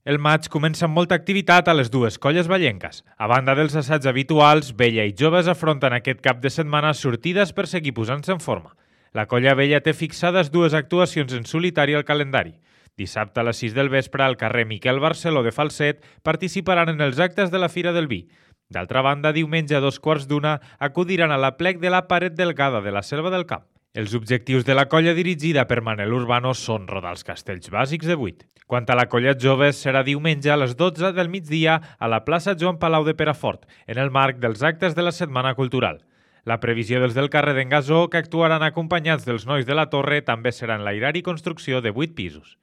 El maig comença amb molta activitat a les dues colles vallenques. A banda dels assaigs habituals, Vella i Joves afronten aquest cap de setmana sortides per seguir posant-se en forma. La colla Vella té fixades dues actuacions en solitari al calendari. Dissabte a les 6 del vespre, al carrer Miquel Barceló de Falset, participaran en els actes de la Fira del Vi. D'altra banda, diumenge a 2:15 acudiran a l'aplec de la Paret Delgada de la Selva del Camp. Els objectius de la colla dirigida per Manel Urbano són rodar els castells bàsics de 8. Quant a la colla Joves, serà diumenge a les 12 del migdia a la plaça Joan Palau de Perafort, en el marc dels actes de la Setmana Cultural. La previsió dels del carrer d'en Gasó, que actuaran acompanyats dels nois de la Torre, també serà enlairar i construcció de 8 pisos.